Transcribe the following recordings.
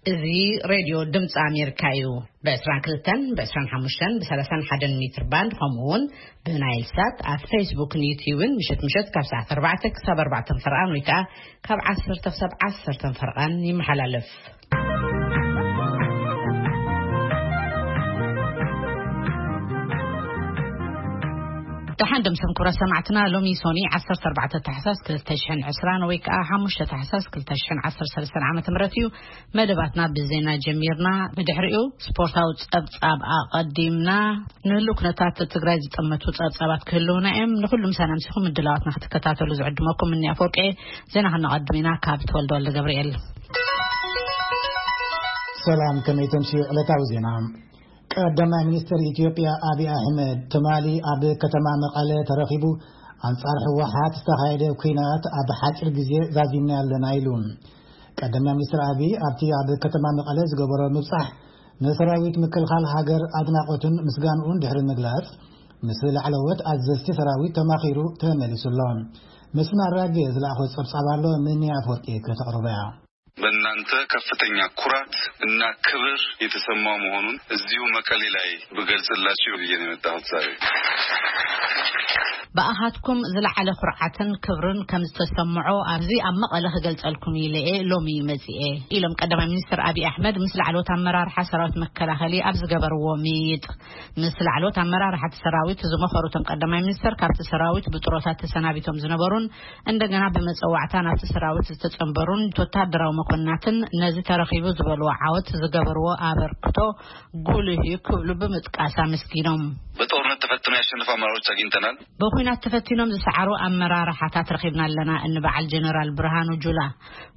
እዚ ሬድዮ ድምፂ ኣሜሪካ እዩ። ብ22፣ ብ25፣ ብ31 ሜትር ባንድ፣ ከምኡ እውን ብናይል ሳት ኣብ ፌስቡክን ዩትዩብን ምሸት ምሸት ካብ ሰዓት ኣርባዕተ ክሳብ ኣርባዕተ ፈርቓን ወይ ከዓ ካብ ዓሰርተ ክሳብ ዓሰርተ ፈርቓን ይመሓላለፍ። ደሓን ደምሰም ክቡራት ሰማዕትና፣ ሎሚ ሶኒ ዓሰርተ ኣርባዕተ ታሕሳስ ክልተ ሽሕን ዕስራን ወይ ከዓ ሓሙሽተ ታሕሳስ ክልተ ሽሕን ዓሰርተ ሰለስተን ዓመተ ምህረት እዩ። መደባትና ብዜና ጀሚርና፣ ብድሕሪኡ ስፖርታዊ ጸብጻብ ኣቐዲምና፣ ንህልው ኩነታት ትግራይ ዝጠመቱ ጸብጻባት ክህልውና እዮም። ንኹሉ ምሳና ምሲኹም ምድላዋትና ክትከታተሉ ዝዕድመኩም እኒ ኣፈወርቂ። ዜና ከነቐድም ኢና ካብ ተወልደ ወልደ ገብርኤል። ሰላም፣ ከመይ ተምስዩ ዕለታዊ ዜና። ቀዳማይ ሚኒስትር ኢትዮጵያ ኣብይ ኣሕመድ ትማሊ ኣብ ከተማ መቐለ ተረኺቡ፣ ኣንጻር ህወሓት ዝተኻየደ ኲናት ኣብ ሓጺር ግዜ ዛዚምና ኣለና ኢሉ። ቀዳማይ ሚኒስትር ኣብይ ኣብቲ ኣብ ከተማ መቐለ ዝገበሮ ምብጻሕ ንሰራዊት ምክልኻል ሃገር ኣድናቖቱን ምስጋንኡን ድሕሪ ምግላጽ፣ ምስ ላዕለዎት ኣዘዝቲ ሰራዊት ተማኺሩ ተመሊሱ ኣሎ። መስፍን ኣራጌ ዝለኣኾ ጸብጻብ ኣሎ፣ ምንያ ኣፈወርቂ ከተቕርቦ እያ። በእናንተ ከፍተኛ ኩራት እና ክብር የተሰማው መሆኑን እዚሁ መቀሌ ላይ ብገልጽላችሁ ብዬ ነው የመጣሁት ዛሬ። ብኣኻትኩም ዝለዓለ ኩርዓትን ክብርን ከም ዝተሰምዖ ኣብዚ ኣብ መቐለ ክገልጸልኩም ኢለ እየ ሎሚ መጺኤ፣ ኢሎም ቀዳማይ ሚኒስትር ኣብይ ኣሕመድ ምስ ላዕለዎት ኣመራርሓ ሰራዊት መከላኸሊ ኣብ ዝገበርዎ ምይይጥ። ምስ ላዕለዎት ኣመራርሓ እቲ ሰራዊት ዝመኸሩ እቶም ቀዳማይ ሚኒስትር፣ ካብቲ ሰራዊት ብጥሮታ ተሰናቢቶም ዝነበሩን እንደገና ብመጸዋዕታ ናብቲ ሰራዊት ዝተጸንበሩን ወታደራዊ መኮንናትን ነዚ ተረኺቡ ዝበልዎ ዓወት ዝገበርዎ ኣበርክቶ ጉልህ እዩ ክብሉ ብምጥቃስ ኣመስጊኖም። በጦርነት ተፈትነው ያሸነፉ አመራሮች አግኝተናል። ብኹናት ተፈቲኖም ዝሰዓሩ ኣመራርሓታት ረኺብና ኣለና እንበዓል ጀነራል ብርሃኑ ጁላ፣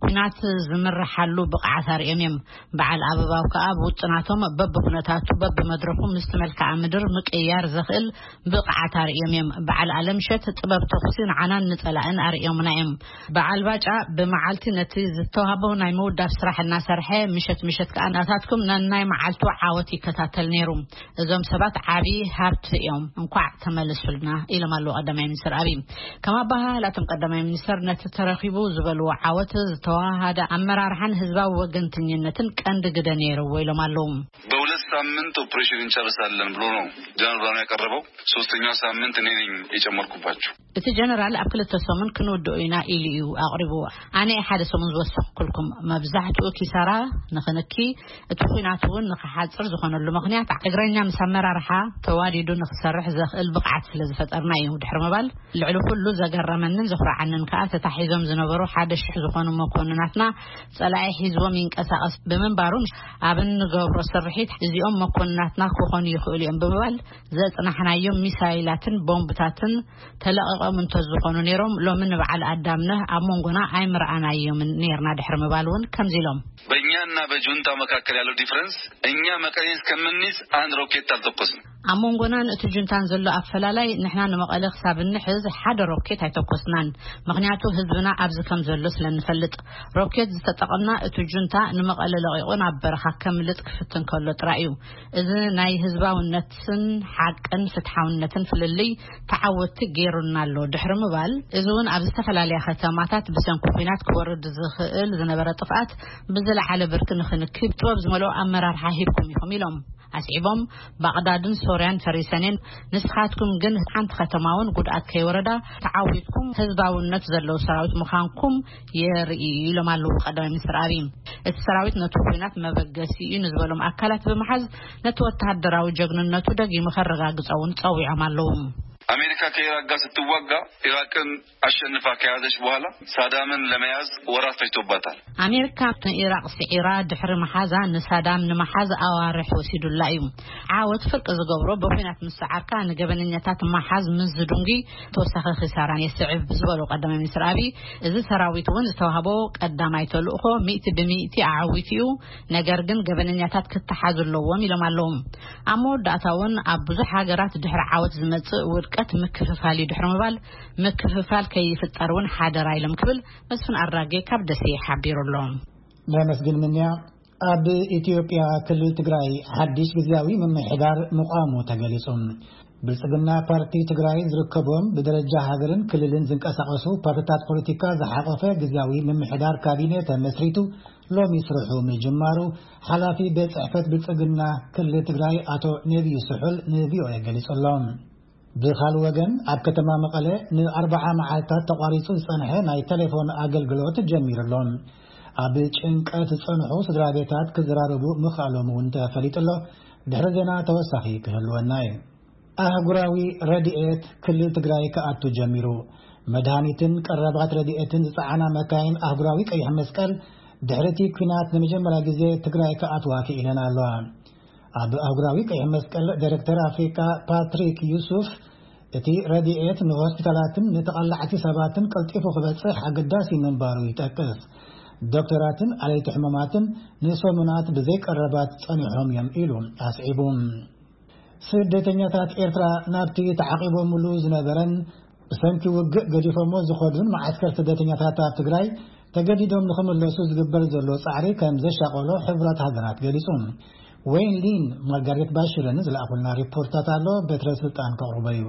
ኩናት ዝምርሓሉ ብቕዓት ኣርእዮም እዮም። በዓል ኣበባው ከኣ ብውጥናቶም በብኩነታቱ በብመድረኹ ምስቲ መልክዓ ምድር ምቅያር ዘኽእል ብቕዓት ኣርእዮም እዮም። በዓል ኣለምሸት ጥበብ ተኹሲ ንዓናን ንጸላእን ኣርእዮምና እዮም። በዓል ባጫ ብመዓልቲ ነቲ ዝተዋህቦ ናይ ምውዳብ ስራሕ እናሰርሐ፣ ምሸት ምሸት ከኣ ናታትኩም ነናይ መዓልቱ ዓወት ይከታተል ነይሩ። እዞም ሰባት ዓቢ ሃብቲ እዮም፣ እንኳዕ ተመለሱልና ኢሎም ኣለዉ ቀዳማይ ሚኒስትር ኣብይ። ከም ኣበሃህላቶም ቀዳማይ ሚኒስትር ነቲ ተረኺቡ ዝበልዎ ዓወት ዝተዋሃደ ኣመራርሓን ህዝባዊ ወገንተኝነትን ቀንዲ ግደ ነይርዎ ኢሎም ኣለዉ። በሁለት ሳምንት ኦፕሬሽን እንጨርሳለን ብሎ ነው ጀነራል ብርሃኑ ያቀረበው። ሶስተኛው ሳምንት እኔ ነኝ የጨመርኩባቸው። እቲ ጀነራል ኣብ ክልተ ሰሙን ክንውድኦ ኢና ኢሉ እዩ ኣቕሪቡ። ኣነ ሓደ ሰሙን ዝወሰንኩልኩም። መብዛሕትኡ ኪሳራ ንኽንኪ፣ እቲ ኲናት እውን ንኽሓጽር ዝኾነሉ ምኽንያት እግረኛ ምስ ኣመራርሓ ተዋዲዱ ንኽሰርሕ ዘኽእል ብቕዓት ስለ ዝፈጠርና እዩ። ድሕሪ ምባል፣ ልዕሊ ኩሉ ዘገረመንን ዘኹርዓንን ከኣ ተታሒዞም ዝነበሩ ሓደ ሽሕ ዝኾኑ መኮንናትና ጸላኢ ሒዝዎም ይንቀሳቐስ ብምንባሩ፣ ኣብ እንገብሮ ስርሒት እዚኦም መኮንናትና ክኾኑ ይኽእሉ እዮም ብምባል ዘጽናሕናዮም ሚሳይላትን ቦምብታትን ተለቒቖም እንተዝኾኑ ነይሮም፣ ሎሚ ንበዓል ኣዳምነህ ኣብ መንጎና ኣይምረኣናዮምን ነይርና ድሕሪ ምባል እውን ከምዚ ኢሎም። በእኛና በጁንታ መካከል ያለው ዲፍረንስ፣ እኛ መቀሌን እስከምንይዝ አንድ ሮኬት አልተኮስንም። ኣብ መንጎናን እቲ ጁንታን ዘሎ ኣፈላላይ፣ ንሕና ንመቐለ ክሳብ እንሕዝ ሓደ ሮኬት ኣይተኮስናን። ምኽንያቱ ህዝብና ኣብዚ ከም ዘሎ ስለ እንፈልጥ። ሮኬት ዝተጠቐምና እቲ ጁንታ ንመቐለ ለቒቑ ናብ በረኻ ከምልጥ ክፍትን ከሎ ጥራይ እዩ። እዚ ናይ ህዝባውነትን ሓቅን ፍትሓውነትን ፍልልይ ተዓወትቲ ገይሩና ኣሎ ድሕሪ ምባል፣ እዚ እውን ኣብ ዝተፈላለያ ከተማታት ብሰንኪ ኲናት ክወርድ ዝኽእል ዝነበረ ጥፍኣት ብዝለዓለ ብርኪ ንኽንክብ ጥበብ ዝመልኦ ኣመራርሓ ሂብኩም ኢኹም ኢሎም። ኣስዒቦም፣ ባቕዳድን ሶርያን ፈሪሰን እየን፣ ንስኻትኩም ግን ሓንቲ ከተማ እውን ጉድኣት ከይወረዳ ተዓዊትኩም ህዝባውነት ዘለዎ ሰራዊት ምዃንኩም የርኢ ኢሎም ኣለዉ ቀዳማይ ሚኒስትር ኣብይ። እቲ ሰራዊት ነቲ ኲናት መበገሲ እዩ ንዝበሎም ኣካላት ብምሓዝ፣ ነቲ ወተሃደራዊ ጀግንነቱ ደጊሙ ከረጋግጾ እውን ጸዊዖም ኣለዉ። አሜሪካ ከኢራቅ ጋር ስትዋጋ ኢራቅን አሸንፋ ከያዘች በኋላ ሳዳምን ለመያዝ ወራት ፈጅቶባታል። ኣሜሪካ ንኢራቅ ስዒራ ድሕሪ መሓዛ ንሳዳም ንምሓዝ ኣዋርሕ ወሲዱላ እዩ። ዓወት ፍርቂ ዝገብሮ ብኹናት ምስ ሰዓርካ ንገበነኛታት ምሓዝ ምስ ዝድንጉ ተወሳኺ ኪሳራን የስዕብ ዝበሉ ቀዳማይ ሚኒስትር ኣብይ፣ እዚ ሰራዊት እውን ዝተዋህቦ ቀዳማይ ተልእኾ ሚእቲ ብሚእቲ ኣዓዊቱ እዩ። ነገር ግን ገበነኛታት ክተሓዙ ኣለዎም ኢሎም ኣለዉ። ኣብ መወዳእታ እውን ኣብ ብዙሕ ሃገራት ድሕሪ ዓወት ዝመጽእ ውድቀት ምክፍፋል እዩ ድሕሪ ምባል፣ ምክፍፋል ከይፍጠር እውን ሓደራ ኢሎም ክብል መስፍን ኣራጌ ካብ ደሴ ሓቢሩ ኣሎ። ነመስግን ምንያ። ኣብ ኢትዮጵያ ክልል ትግራይ ሓድሽ ግዝያዊ ምምሕዳር ምቋሙ ተገሊጹ። ብልጽግና ፓርቲ ትግራይ ዝርከቦም ብደረጃ ሃገርን ክልልን ዝንቀሳቐሱ ፓርትታት ፖለቲካ ዝሓቆፈ ግዝያዊ ምምሕዳር ካቢነ ተመስሪቱ ሎሚ ስርሑ ምጅማሩ ሓላፊ ቤት ጽሕፈት ብልጽግና ክልል ትግራይ ኣቶ ነቢዩ ስሑል ንቪኦኤ ገሊጹ ኣሎ። ብኻልእ ወገን ኣብ ከተማ መቐለ ንኣርባዓ መዓልታት ተቋሪጹ ዝጸንሐ ናይ ቴሌፎን ኣገልግሎት ጀሚሩ ኣሎ። ኣብ ጭንቀት ዝጸንሑ ስድራ ቤታት ክዘራረቡ ምኽኣሎም እውን ተፈሊጡ ኣሎ። ድሕሪ ዜና ተወሳኺ ክህልወና እዩ። ኣህጉራዊ ረድኤት ክልል ትግራይ ክኣቱ ጀሚሩ። መድሃኒትን ቀረባት ረድኤትን ዝጸዓና መካይን ኣህጉራዊ ቀይሕ መስቀል ድሕሪቲ ኲናት ንመጀመርያ ግዜ ትግራይ ክኣትዋ ክኢለን ኣለዋ። ኣብ ኣህጉራዊ ቀይሕ መስቀል ዳይሬክተር ኣፍሪካ ፓትሪክ ዩሱፍ፣ እቲ ረድኤት ንሆስፒታላትን ንተቐላዕቲ ሰባትን ቀልጢፉ ክበጽሕ ኣገዳሲ ምንባሩ ይጠቅስ። ዶክተራትን ኣለይቲ ሕሙማትን ንሰሙናት ብዘይቀረባት ጸኒሖም እዮም ኢሉ ኣስዒቡ። ስደተኛታት ኤርትራ ናብቲ ተዓቂቦምሉ ዝነበረን ብሰንኪ ውግእ ገዲፎሞ ዝኸዱን መዓስከር ስደተኛታት ኣብ ትግራይ ተገዲዶም ንኽምለሱ ዝግበር ዘሎ ጻዕሪ ከም ዘሻቐሎ ሕቡራት ሃገራት ገሊጹ። ወይን ሊን ማርጋሬት ባሽርን ዝለኣኹልና ሪፖርታት ኣሎ፣ በትረ ስልጣን ከቕርቦ እዩ።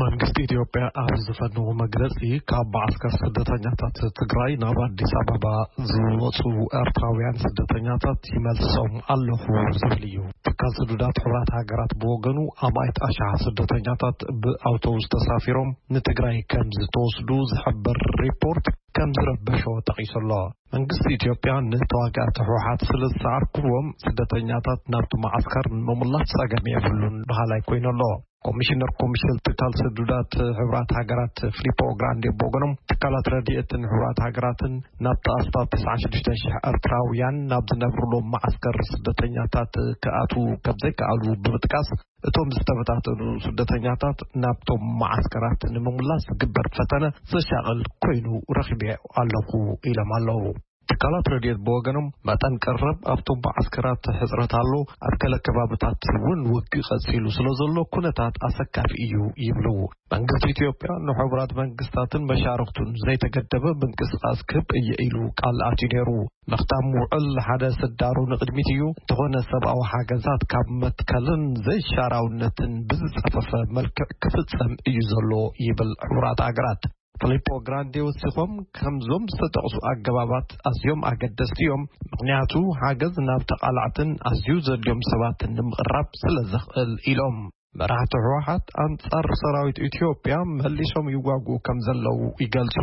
መንግስቲ ኢትዮጵያ ኣብ ዝፈነዎ መግለጺ፣ ካብ መዓስከር ስደተኛታት ትግራይ ናብ ኣዲስ ኣበባ ዝወጹ ኤርትራውያን ስደተኛታት ይመልሶም ኣለኹ ዝብል እዩ። ትካል ስዱዳት ሕቡራት ሃገራት ብወገኑ፣ ኣማኢት ኣሽሓት ስደተኛታት ብኣውቶቡስ ተሳፊሮም ንትግራይ ከም ዝተወስዱ ዝሕብር ሪፖርት ከም ዝረበሾ ጠቒሱ ኣሎ። መንግስቲ ኢትዮጵያ ንተዋጋእቲ ህወሓት ስለ ዝሰዓርክዎም፣ ስደተኛታት ናብቲ መዓስከር ንምምላስ ጸገም የብሉን በሃላይ ኮይኑ ኣሎ። ኮሚሽነር ኮሚሽን ትካል ስዱዳት ሕቡራት ሃገራት ፊሊፖ ግራንዴ ብወገኖም፣ ትካላት ረድኤትን ሕቡራት ሃገራትን ናብቲ ኣስታት ተስዓን ሽዱሽተን ሽሕ ኤርትራውያን ናብ ዝነብሩሎም መዓስከር ስደተኛታት ክኣትዉ ከም ዘይከኣሉ ብምጥቃስ፣ እቶም ዝተበታተኑ ስደተኛታት ናብቶም መዓስከራት ንምምላስ ዝግበር ፈተነ ዘሻቕል ኮይኑ ረኺበዮ ኣለኹ ኢሎም ኣለዉ። ትካላት ረድኤት ብወገኖም፣ መጠን ቀረብ ኣብቶም መዓስከራት ሕጽረት ኣሎ፣ ኣብ ገለ ከባብታት እውን ውግእ ቀጺሉ ስለ ዘሎ፣ ኩነታት ኣሰካፊ እዩ ይብሉ። መንግስቲ ኢትዮጵያ ንሕቡራት መንግስታትን መሻርኽቱን ዘይተገደበ ምንቅስቓስ ክህብ እየ ኢሉ ቃል ኣትዩ ነይሩ። ምኽታም ውዕል ሓደ ስዳሩ ንቕድሚት እዩ፣ እንተኾነ ሰብኣዊ ሓገዛት ካብ መትከልን ዘይሻራውነትን ብዝጸፈፈ መልክዕ ክፍጸም እዩ ዘሎ ይብል ሕቡራት ሃገራት። ፊሊፖ ግራንዴ ወሲኾም፣ ከምዞም ዝተጠቕሱ ኣገባባት ኣዝዮም ኣገደስቲ እዮም፣ ምኽንያቱ ሓገዝ ናብ ተቓላዕትን ኣዝዩ ዘድልዮም ሰባትን ንምቕራብ ስለ ዘኽእል ኢሎም። መራሕቲ ህወሓት ኣንጻር ሰራዊት ኢትዮጵያ መሊሶም ይዋግኡ ከም ዘለዉ ይገልጹ።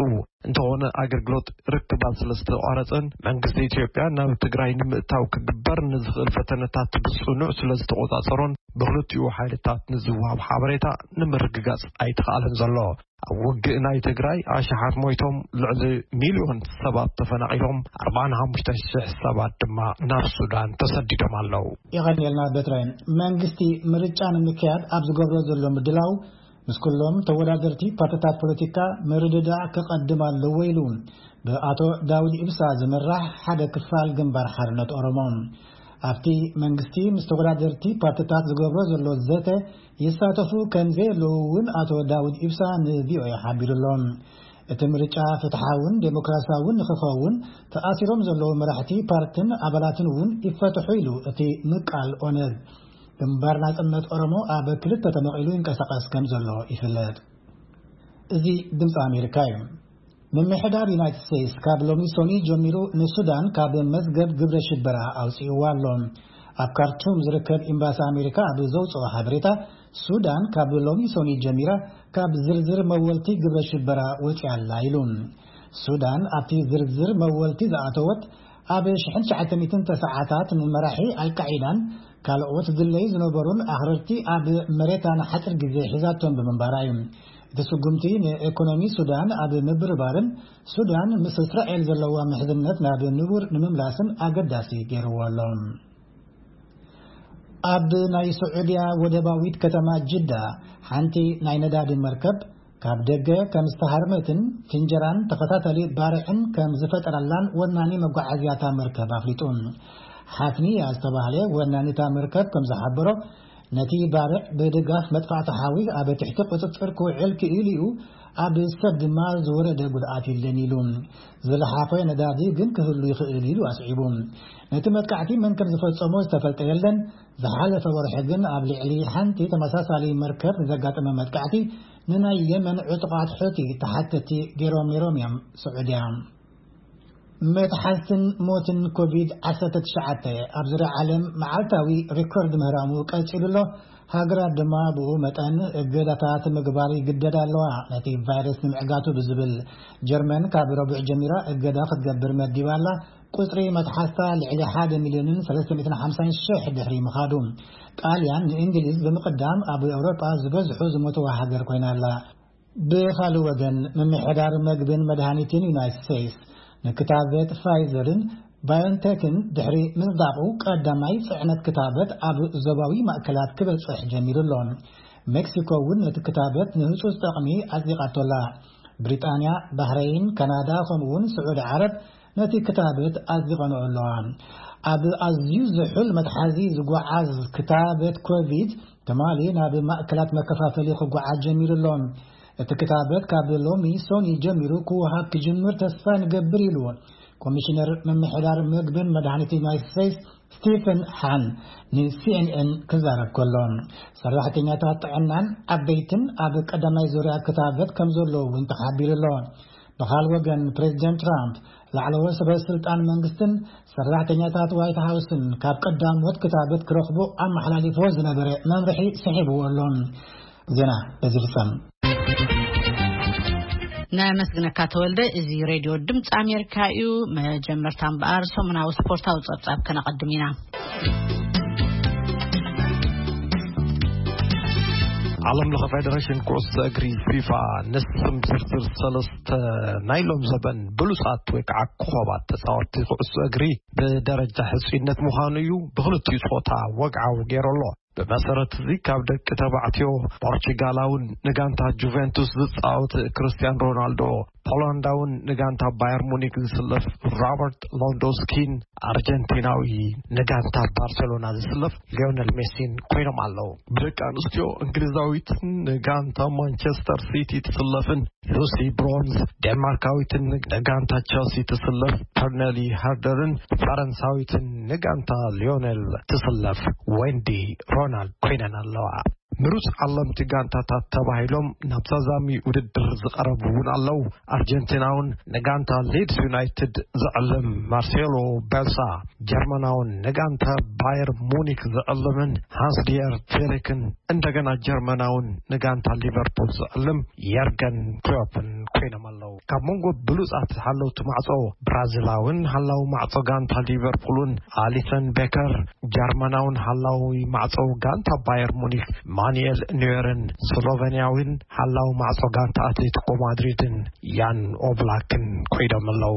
እንተኾነ ኣገልግሎት ርክባት ስለ ዝተቋረጸን መንግስቲ ኢትዮጵያ ናብ ትግራይ ንምእታው ክግበር ንዝኽእል ፈተነታት ብጽኑዕ ስለ ዝተቖጻጸሮን ብክልቲኡ ሓይልታት ንዝወሃብ ሓበሬታ ንምርግጋጽ ኣይተኻእለን ዘሎ። ኣብ ውግእ ናይ ትግራይ ኣሽሓት ሞይቶም፣ ልዕሊ ሚልዮን ሰባት ተፈናቒሎም፣ ኣርባዓን ሓሙሽተ ሽሕ ሰባት ድማ ናብ ሱዳን ተሰዲዶም ኣለዉ። የቐንየልና በትረ። መንግስቲ ምርጫ ንምክያድ ኣብ ዝገብሮ ዘሎ ምድላው ምስ ኩሎም ተወዳደርቲ ፓርትታት ፖለቲካ ምርድዳእ ክቐድም ኣለዎ ኢሉ ብኣቶ ዳውድ ኢብሳ ዝምራሕ ሓደ ክፋል ግንባር ሓርነት ኦሮሞ። ኣብቲ መንግስቲ ምስ ተወዳደርቲ ፓርትታት ዝገብሮ ዘሎ ዘተ ይሳተፉ ከም ዘየለዉ እውን ኣቶ ዳውድ ኢብሳ ንቪኦኤ ሓቢሩ ኣሎ። እቲ ምርጫ ፍትሓውን ዴሞክራሲያውን ንክኸውን ተኣሲሮም ዘለዉ መራሕቲ ፓርትን ኣባላትን እውን ይፈትሑ ኢሉ እቲ ምቃል ኦነግ። ግንባር ናጽነት ኦሮሞ ኣብ ክልተ ተመቒሉ ይንቀሳቐስ ከም ዘሎ ይፍለጥ። እዚ ድምፂ ኣሜሪካ እዩ። ምምሕዳር ዩናይትድ ስቴትስ ካብ ሎሚ ሶኒ ጀሚሩ ንሱዳን ካብ መዝገብ ግብረ ሽበራ ኣውፂእዋ ኣሎ። ኣብ ካርቱም ዝርከብ ኤምባሲ ኣሜሪካ ኣብ ዘውፅኦ ሓበሬታ፣ ሱዳን ካብ ሎሚ ሶኒ ጀሚራ ካብ ዝርዝር መወልቲ ግብረ ሽበራ ወፂኣ ኣላ ኢሉ። ሱዳን ኣብቲ ዝርዝር መወልቲ ዝኣተወት ኣብ ሽሕን ትሽዓተ ሚእትን ተስዓታት ንመራሒ ኣልቃዒዳን ካልኦት ድለይ ዝነበሩን ኣኽረርቲ ኣብ መሬታ ንሓፂር ግዜ ሒዛቶም ብምንባራ እዩ። እቲ ስጉምቲ ንኢኮኖሚ ሱዳን ኣብ ምብርባርን ሱዳን ምስ እስራኤል ዘለዋ ምሕዝነት ናብ ንቡር ንምምላስን ኣገዳሲ ገይርዎ ኣሎ። ኣብ ናይ ስዑድያ ወደባዊት ከተማ ጅዳ ሓንቲ ናይ ነዳዲ መርከብ ካብ ደገ ከም ዝተሃርመትን ፍንጀራን ተኸታታሊ ባርዕን ከም ዝፈጠረላን ወናኒ መጓዓዝያታ መርከብ ኣፍሊጡ። ሓፍንያ ዝተባህለ ወናኒታ መርከብ ከም ዝሓበሮ፣ ነቲ ባርዕ ብድጋፍ መጥፋእቲ ሓዊ ኣብ ትሕቲ ቁጽጽር ክውዕል ክኢሉ እዩ። ኣብ ሰብ ድማ ዝወረደ ጉድኣት የለን ኢሉ። ዝለሓፈ ነዳዲ ግን ክህሉ ይኽእል ኢሉ ኣስዒቡ። ነቲ መጥቃዕቲ መን ከም ዝፈጸሞ ዝተፈልጠ የለን። ዝሓለፈ ወርሒ ግን ኣብ ልዕሊ ሓንቲ ተመሳሳሊ መርከብ ዘጋጠመ መጥቃዕቲ ንናይ የመን ዕጡቓት ሑቲ ተሓተቲ ገይሮም ነይሮም እዮም። ስዑድያ መትሓዝትን ሞትን ኮቪድ ዓሰርተ ትሽዓተ ኣብ ዙርያ ዓለም መዓልታዊ ሪኮርድ ምህራሙ ቀጺሉ ኣሎ። ሃገራት ድማ ብኡ መጠን እገዳታት ምግባር ይግደዳ ኣለዋ። ነቲ ቫይረስ ንምዕጋቱ ብዝብል ጀርመን ካብ ረቡዕ ጀሚራ እገዳ ክትገብር መዲባ ኣላ። ቁጽሪ መትሓዝታ ልዕሊ ሓደ ሚልዮንን ሰለስተ ሚእትን ሓምሳን ሽሕ ድሕሪ ምኻዱ፣ ጣልያን ንእንግሊዝ ብምቕዳም ኣብ ኤውሮጳ ዝበዝሑ ዝሞትዋ ሃገር ኮይና ኣላ። ብኻልእ ወገን፣ ምምሕዳር መግብን መድሃኒትን ዩናይትድ ስቴትስ ንክታበት ፋይዘርን ባዮንቴክን ድሕሪ ምጽዳቑ፣ ቀዳማይ ጽዕነት ክታበት ኣብ ዞባዊ ማእከላት ክበጽሕ ጀሚሩ ኣሎ። ሜክሲኮ እውን ነቲ ክታበት ንህጹጽ ጠቕሚ ኣጽዲቓቶ ኣላ። ብሪጣንያ፣ ባህረይን፣ ካናዳ ከምኡውን ስዑዲ ዓረብ ነቲ ክታበት ኣጽዲቐንኦ ኣለዋ። ኣብ ኣዝዩ ዝሑል መትሓዚ ዝጓዓዝ ክታበት ኮቪድ ትማሊ ናብ ማእከላት መከፋፈሊ ክጓዓዝ ጀሚሩ ኣሎ። እቲ ክታበት ካብ ሎሚ ሶኒ ጀሚሩ ክወሃብ ክጅምር ተስፋ ንገብር ኢሉ ኮሚሽነር ምምሕዳር መግብን መድሃኒት ዩናይትድ ስቴትስ ስቲፈን ሃን ንሲኤንኤን ክዛረብ ከሎ፣ ሰራሕተኛታት ጥዕናን ዓበይትን ኣብ ቀዳማይ ዙርያ ክታበት ከም ዘለዉ እውን ተሓቢሩ ኣሎ። ብኻል ወገን፣ ፕሬዚደንት ትራምፕ ላዕለዎት ሰበ ስልጣን መንግስትን ሰራሕተኛታት ዋይት ሃውስን ካብ ቀዳሞት ክታበት ክረኽቡ ኣመሓላሊፍዎ ዝነበረ መምርሒ ስሒብዎ ኣሎ። ዜና በዚ ፍጸም። ነመስግነካ ተወልደ። እዚ ሬድዮ ድምፂ ኣሜሪካ እዩ። መጀመርታ እምበኣር ሰሙናዊ ስፖርታዊ ጸብጻብ ከነቐድም ኢና። ዓለም ለኸ ፌደሬሽን ኩዕሶ እግሪ ፊፋ ንስም ዝርዝር ሰለስተ ናይ ሎም ዘበን ብሉጻት ወይ ከዓ ኮኸባት ተጻወትቲ ኩዕሶ እግሪ ብደረጃ ሕጽይነት ምዃኑ እዩ ብክልቲኡ ጾታ ወግዓዊ ገይሩ ኣሎ። ብመሰረት እዚ ካብ ደቂ ተባዕትዮ ፖርቹጋላውን ንጋንታ ጁቬንቱስ ዝጻወት ክርስቲያን ሮናልዶ፣ ፖላንዳውን ንጋንታ ባየር ሙኒክ ዝስለፍ ሮበርት ሎንዶስኪን፣ ኣርጀንቲናዊ ንጋንታ ባርሴሎና ዝስለፍ ሊዮነል ሜሲን ኮይኖም ኣለዉ። ብደቂ ኣንስትዮ እንግሊዛዊትን ንጋንታ ማንቸስተር ሲቲ ትስለፍን ሉሲ ብሮንዝ፣ ዴንማርካዊትን ንጋንታ ቸልሲ ትስለፍ ፐርነሊ ሃርደርን ፈረንሳዊትን ንጋንታ ሊዮነል ትስለፍ ዌንዲ ሮናልድ ኮይነን ኣለዋ። ምሩፅ ዓለምቲ ጋንታታት ተባሂሎም ናብ ዛዛሚ ውድድር ዝቐረቡ እውን ኣለዉ። ኣርጀንቲናውን ንጋንታ ሊድስ ዩናይትድ ዝዕልም ማርሴሎ ቤልሳ፣ ጀርመናውን ንጋንታ ባየር ሙኒክ ዝዕልምን ሃንስ ዲየር ፌሊክን፣ እንደገና ጀርመናውን ንጋንታ ሊቨርፑል ዝዕልም የርገን ክሎፕን ኮይኖም ኣለዉ። ካብ መንጎ ብሉጻት ሓለውቲ ማዕጾ ብራዚላውን ሓላዊ ማዕጾ ጋንታ ሊቨርፑልን ኣሊሰን ቤከር፣ ጀርመናውን ሓላዊ ማዕጾ ጋንታ ባየር ሙኒክ ማኑኤል ኖየርን ስሎቨንያዊን ሓላዊ ማዕጾ ጋንታ ኣትሌቲኮ ማድሪድን ያን ኦብላክን ኮይኖም ኣለዉ።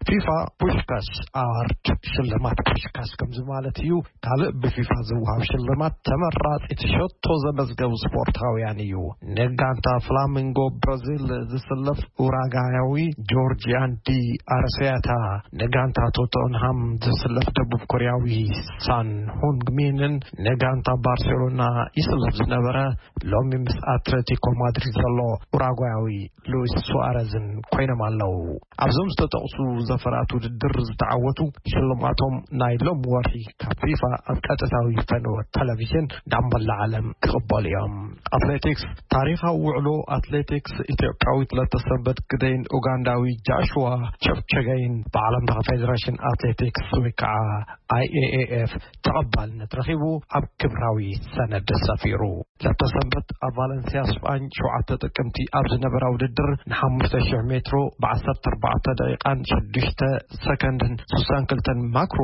ፊፋ ፑሽካሽ ኣዋርድ፣ ሽልማት ፑሽካሽ ከምዚ ማለት እዩ። ካልእ ብፊፋ ዝወሃብ ሽልማት ተመራጺ ትሸቶ ዘመዝገቡ ስፖርታውያን እዩ። ንጋንታ ፍላሚንጎ ብራዚል ዝስለፍ ኡራጋያዊ ጆርጂያን ዲ ኣረሴታ፣ ንጋንታ ቶተንሃም ዝስለፍ ደቡብ ኮርያዊ ሳን ሁንግሚንን ንጋንታ ባርሴሎና ይስለፍ ዝነበረ ሎሚ ምስ ኣትሌቲኮ ማድሪድ ዘሎ ኡራጓያዊ ሉዊስ ሱዋረዝን ኮይኖም ኣለዉ። ኣብዞም ዝተጠቕሱ ዘፈራት ውድድር ዝተዓወቱ ሽልማቶም ናይ ሎም ወርሒ ካብ ፊፋ ኣብ ቀጥታዊ ፈነወ ቴሌቪዥን ናብ መላእ ዓለም ክቕበሉ እዮም። ኣትሌቲክስ፣ ታሪኻዊ ውዕሎ ኣትሌቲክስ ኢትዮጵያዊት ለተሰንበት ግደይን ኡጋንዳዊ ጃሽዋ ቸፕቸገይን ብዓለም ለኸ ፌዴሬሽን ኣትሌቲክስ ወይ ከዓ ኣይ ኤ ኤ ኤፍ ተቐባልነት ረኺቡ ኣብ ክብራዊ ሰነድ ሰፊሩ። ለተሰንበት ኣብ ቫለንሲያ ስጳኝ ሸውዓተ ጥቅምቲ ኣብ ዝነበራ ውድድር ንሓሙሽተ ሽሕ ሜትሮ ብዓሰርተ ኣርባዕተ ደቂቓን ሽዱሽተ ሰከንድን ስሳን ክልተን ማክሮ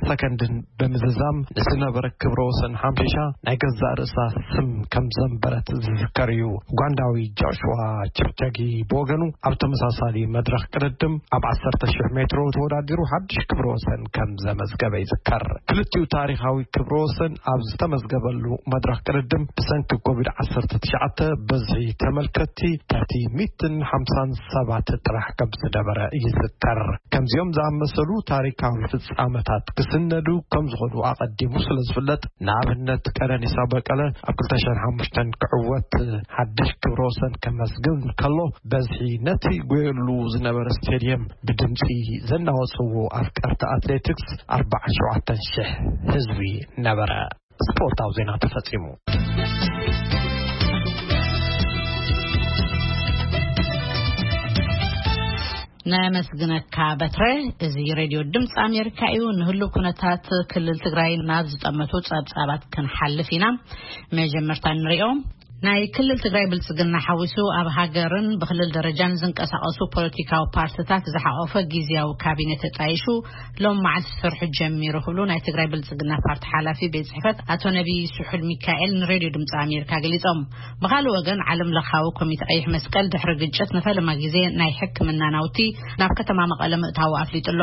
ሰከንድን ብምዝዛም ንዝነበረ ክብረ ወሰን ሓምሺሻ ናይ ገዛእ ርእሳ ስም ከም ዘንበረት ዝዝከር እዩ። ኡጋንዳዊ ጆሽዋ ቸፕቸጊ ብወገኑ ኣብ ተመሳሳሊ መድረኽ ቅድድም ኣብ ዓሰርተ ሽሕ ሜትሮ ተወዳዲሩ ሓድሽ ክብረ ወሰን ከም ዘመዝገበ ይዝከር። ክልቲኡ ታሪኻዊ ክብረ ወሰን ኣብ ዝተመዝገበሉ መድረኽ ቅድድም ብሰንኪ ኮቪድ ዓሰርተ ትሽዓተ ብዝሒ ተመልከትቲ ትሕቲ ሚእትን ሓምሳን ሰባት ጥራሕ ከም ዝነበረ ይዝከር። ከምዚኦም ዝኣመሰሉ ታሪካዊ ፍጻመታት ክስነዱ ከም ዝኾኑ ኣቐዲሙ ስለ ዝፍለጥ፣ ንኣብነት ቀነኒሳ በቀለ ኣብ ክልተ ሽሕን ሓሙሽተን ክዕወት ሓድሽ ክብረ ወሰን ከመዝግብ እንከሎ፣ በዝሒ ነቲ ጎየሉ ዝነበረ ስቴድየም ብድምፂ ዘናወፅዎ ኣፍቀርቲ ኣትሌቲክስ ኣርባዓን ሸውዓተን ሽሕ ህዝቢ ነበረ። ስፖርታዊ ዜና ተፈጺሙ። ነመስግነካ በትረ። እዚ ሬድዮ ድምፂ ኣሜሪካ እዩ። ንህሉ ኩነታት ክልል ትግራይ ናብ ዝጠመቱ ጸብጻባት ክንሓልፍ ኢና። መጀመርታ ንሪኦ። ናይ ክልል ትግራይ ብልጽግና ሓዊሱ ኣብ ሃገርን ብክልል ደረጃን ዝንቀሳቐሱ ፖለቲካዊ ፓርትታት ዝሓቖፈ ግዝያዊ ካቢነ ተጣይሹ ሎም መዓልቲ ስርሑ ጀሚሩ ክብሉ ናይ ትግራይ ብልጽግና ፓርቲ ሓላፊ ቤት ጽሕፈት ኣቶ ነቢይ ስሑል ሚካኤል ንሬድዮ ድምፂ ኣሜሪካ ገሊጾም። ብኻልእ ወገን፣ ዓለም ለኻዊ ኮሚቴ ቀይሕ መስቀል ድሕሪ ግጭት ንፈለማ ግዜ ናይ ሕክምና ናውቲ ናብ ከተማ መቐለ ምእታዉ ኣፍሊጡ ኣሎ።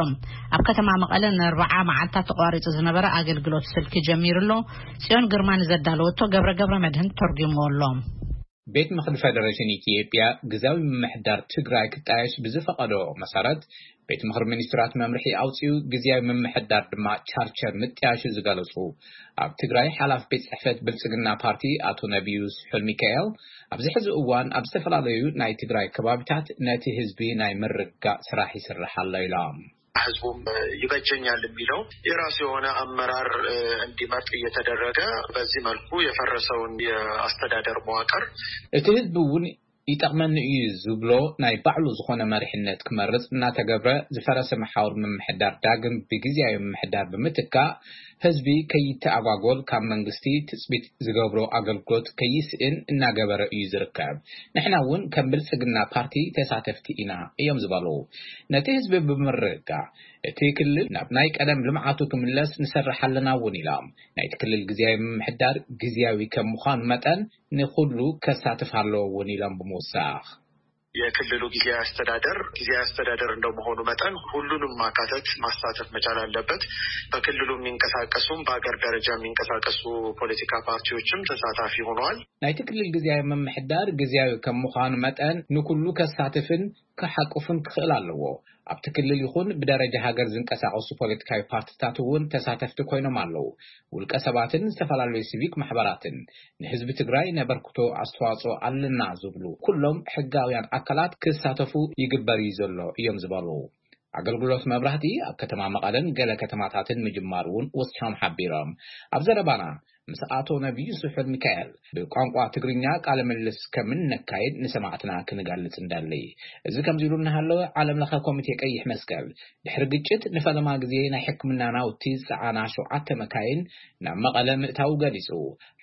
ኣብ ከተማ መቐለ ንኣርብዓ መዓልታት ተቋሪጹ ዝነበረ ኣገልግሎት ስልኪ ጀሚሩ ኣሎ። ጽዮን ግርማ ንዘዳለወቶ ገብረ ገብረ መድህን ተርጉምዎ ኣሎ። ቤት ምኽሪ ፌደሬሽን ኢትዮጵያ ግዝያዊ ምምሕዳር ትግራይ ክጣየሽ ብዝፈቐዶ መሰረት፣ ቤት ምኽሪ ሚኒስትራት መምርሒ ኣውጺኡ ግዝያዊ ምምሕዳር ድማ ቻርቸር ምጥያሹ ዝገለጹ ኣብ ትግራይ ሓላፊ ቤት ጽሕፈት ብልጽግና ፓርቲ ኣቶ ነቢዩ ስሑል ሚካኤል፣ ኣብዚ ሕዚ እዋን ኣብ ዝተፈላለዩ ናይ ትግራይ ከባቢታት ነቲ ህዝቢ ናይ ምርጋእ ስራሕ ይስራሕ ኣሎ ኢሎም። ህዝቡም ይበጀኛል የሚለው የራሱ የሆነ አመራር እንዲመርጥ እየተደረገ፣ በዚህ መልኩ የፈረሰውን የአስተዳደር መዋቅር እቲ ህዝቢ እውን ይጠቕመኒ እዩ ዝብሎ ናይ ባዕሉ ዝኾነ መሪሕነት ክመርጽ እናተገብረ፣ ዝፈረሰ መሓውር ምምሕዳር ዳግም ብግዝያዊ ምምሕዳር ብምትካእ፣ ህዝቢ ከይተኣጓጎል ካብ መንግስቲ ትጽቢት ዝገብሮ ኣገልግሎት ከይስእን እናገበረ እዩ ዝርከብ። ንሕና እውን ከም ብልጽግና ፓርቲ ተሳተፍቲ ኢና እዮም ዝበሉ። ነቲ ህዝቢ ብምርግጋዕ፣ እቲ ክልል ናብ ናይ ቀደም ልምዓቱ ክምለስ ንሰርሕ ኣለና እውን ኢሎም። ናይቲ ክልል ግዝያዊ ምምሕዳር ግዝያዊ ከም ምዃኑ መጠን፣ ንኹሉ ከሳትፍ ኣለዎ እውን ኢሎም ብምውሳኽ። የክልሉ ጊዜያዊ አስተዳደር ጊዜያዊ አስተዳደር እንደመሆኑ መጠን፣ ሁሉንም ማካተት ማሳተፍ መቻል አለበት። በክልሉ የሚንቀሳቀሱም በሀገር ደረጃ የሚንቀሳቀሱ ፖለቲካ ፓርቲዎችም ተሳታፊ ሆነዋል። ናይቲ ክልል ግዝያዊ ምምሕዳር ግዝያዊ ከም ምዃኑ መጠን፣ ንኩሉ ከሳትፍን ክሓቁፍን ክኽእል ኣለዎ። ኣብቲ ክልል ይኹን ብደረጃ ሃገር ዝንቀሳቐሱ ፖለቲካዊ ፓርቲታት እውን ተሳተፍቲ ኮይኖም ኣለዉ። ውልቀ ሰባትን ዝተፈላለዩ ሲቪክ ማሕበራትን፣ ንህዝቢ ትግራይ ነበርክቶ ኣስተዋፅኦ ኣለና ዝብሉ ኩሎም ሕጋውያን ኣካላት ክሳተፉ ይግበር እዩ ዘሎ እዮም ዝበሉ። ኣገልግሎት መብራህቲ ኣብ ከተማ መቐለን ገለ ከተማታትን ምጅማሩ እውን ወሲኾም ሓቢሮም። ኣብ ዘረባና ምስ ኣቶ ነቢዩ ስሑል ሚካኤል ብቋንቋ ትግርኛ ቃለ ምልልስ ከም እነካይድ ንሰማዕትና ክንገልጽ እንደሊ። እዚ ከምዚ ኢሉ እናሃለወ፣ ዓለም ለኸ ኮሚቴ ቀይሕ መስቀል ድሕሪ ግጭት ንፈለማ ግዜ ናይ ሕክምና ናውቲ ዝጸዓና ሸውዓተ መካይን ናብ መቐለ ምእታዉ ገሊጹ።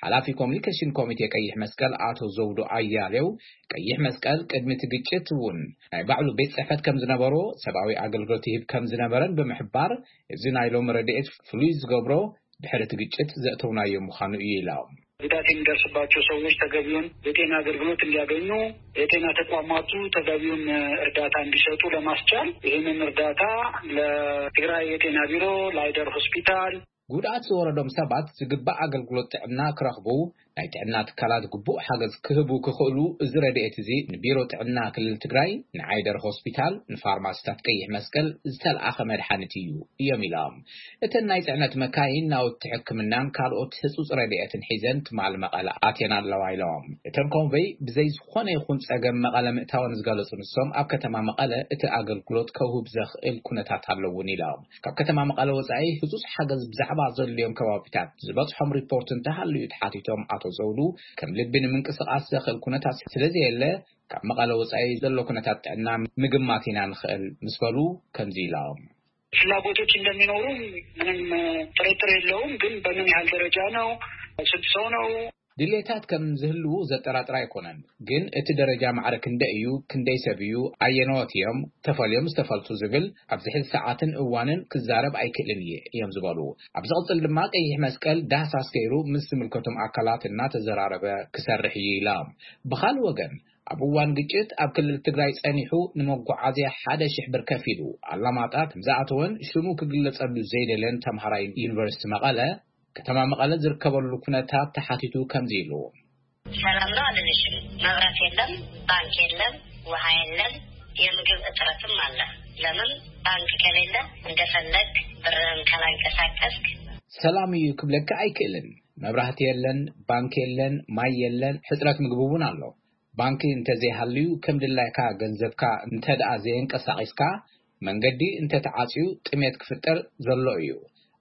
ሓላፊ ኮሚኒኬሽን ኮሚቴ ቀይሕ መስቀል ኣቶ ዘውዱ ኣያሌው፣ ቀይሕ መስቀል ቅድሚ እቲ ግጭት እውን ናይ ባዕሉ ቤት ጽሕፈት ከም ዝነበሮ፣ ሰብኣዊ ኣገልግሎት ይህብ ከም ዝነበረን ብምሕባር፣ እዚ ናይ ሎም ረድኤት ፍሉይ ዝገብሮ ድሕሪ እቲ ግጭት ዘእተውናዮ ምዃኑ እዩ ኢሎም። ጉዳት የሚደርስባቸው ሰዎች ተገቢውን የጤና አገልግሎት እንዲያገኙ፣ የጤና ተቋማቱ ተገቢውን እርዳታ እንዲሰጡ ለማስቻል፣ ይህንን እርዳታ ለትግራይ የጤና ቢሮ፣ ለአይደር ሆስፒታል፣ ጉድኣት ዝወረዶም ሰባት ዝግባእ ኣገልግሎት ጥዕና ክረኽቡ፣ ናይ ጥዕና ትካላት ግቡእ ሓገዝ ክህቡ ክኽእሉ፣ እዚ ረድኤት እዚ ንቢሮ ጥዕና ክልል ትግራይ፣ ንዓይደር ሆስፒታል፣ ንፋርማሲታት ቀይሕ መስቀል ዝተልኣኸ መድሓኒት እዩ እዮም ኢሎም። እተን ናይ ጽዕነት መካይን ናውቲ ሕክምናን ካልኦት ህጹጽ ረድኤትን ሒዘን ትማል መቐለ ኣትየን ኣለዋ ኢሎም። እተን ኮንቨይ ብዘይ ዝኾነ ይኹን ጸገም መቐለ ምእታወን ዝገለጹ ንሶም፣ ኣብ ከተማ መቐለ እቲ ኣገልግሎት ከውህብ ዘኽእል ኩነታት ኣለውን ኢሎም። ካብ ከተማ መቐለ ወጻኢ ህጹጽ ሓገዝ ብዛዕባ ዘድልዮም ከባቢታት ዝበጽሖም ሪፖርት እንተሃልዩ ተሓቲቶም ኣቶ ዘውዱ፣ ከም ልቢ ንምንቅስቓስ ዘኽእል ኩነታት ስለዘየለ፣ ካብ መቐለ ወጻኢ ዘሎ ኩነታት ጥዕና ምግማት ኢና ንኽእል ምስ በሉ ከምዚ ኢሎም። ፍላጎቶች እንደሚኖሩ ምንም ጥርጥር የለውም። ግን በምን ያህል ደረጃ ነው? ስንት ሰው ነው? ድሌታት ከም ዝህልዉ ዘጠራጥር ኣይኮነን። ግን እቲ ደረጃ ማዕረ ክንደይ እዩ፣ ክንደይ ሰብ እዩ፣ ኣየነዎት እዮም ተፈልዮም ዝተፈልጡ ዝብል ኣብዚ ሕዚ ሰዓትን እዋንን ክዛረብ ኣይክእልን እየ እዮም ዝበሉ። ኣብ ዝቕጽል ድማ ቀይሕ መስቀል ዳህሳስ ገይሩ ምስ ዝምልከቶም ኣካላት እናተዘራረበ ክሰርሕ እዩ ኢሎም። ብኻልእ ወገን ኣብ እዋን ግጭት ኣብ ክልል ትግራይ ጸኒሑ ንመጓዓዝያ ሓደ ሽሕ ብር ከፊሉ ኣላማጣ ከም ዝኣተወን ሽሙ ክግለጸሉ ዘይደልን ተምሃራይ ዩኒቨርሲቲ መቐለ ከተማ መቐለ ዝርከበሉ ኩነታት ተሓቲቱ ከምዚ ኢሉ። ሰላም ነው አልልሽም። መብራት የለም፣ ባንክ የለም፣ ውሃ የለም፣ የምግብ እጥረትም አለ። ለምን ባንክ ከሌለ እንደፈለግ ብርህን ካላንቀሳቀስክ ሰላም እዩ ክብለካ ኣይክእልን። መብራህቲ የለን፣ ባንክ የለን፣ ማይ የለን፣ ሕጽረት ምግቢ እውን ኣሎ። ባንክ እንተዘይሃልዩ፣ ከም ድላይካ ገንዘብካ እንተ ደኣ ዘየንቀሳቒስካ፣ መንገዲ እንተተዓጽዩ፣ ጥሜት ክፍጠር ዘሎ እዩ።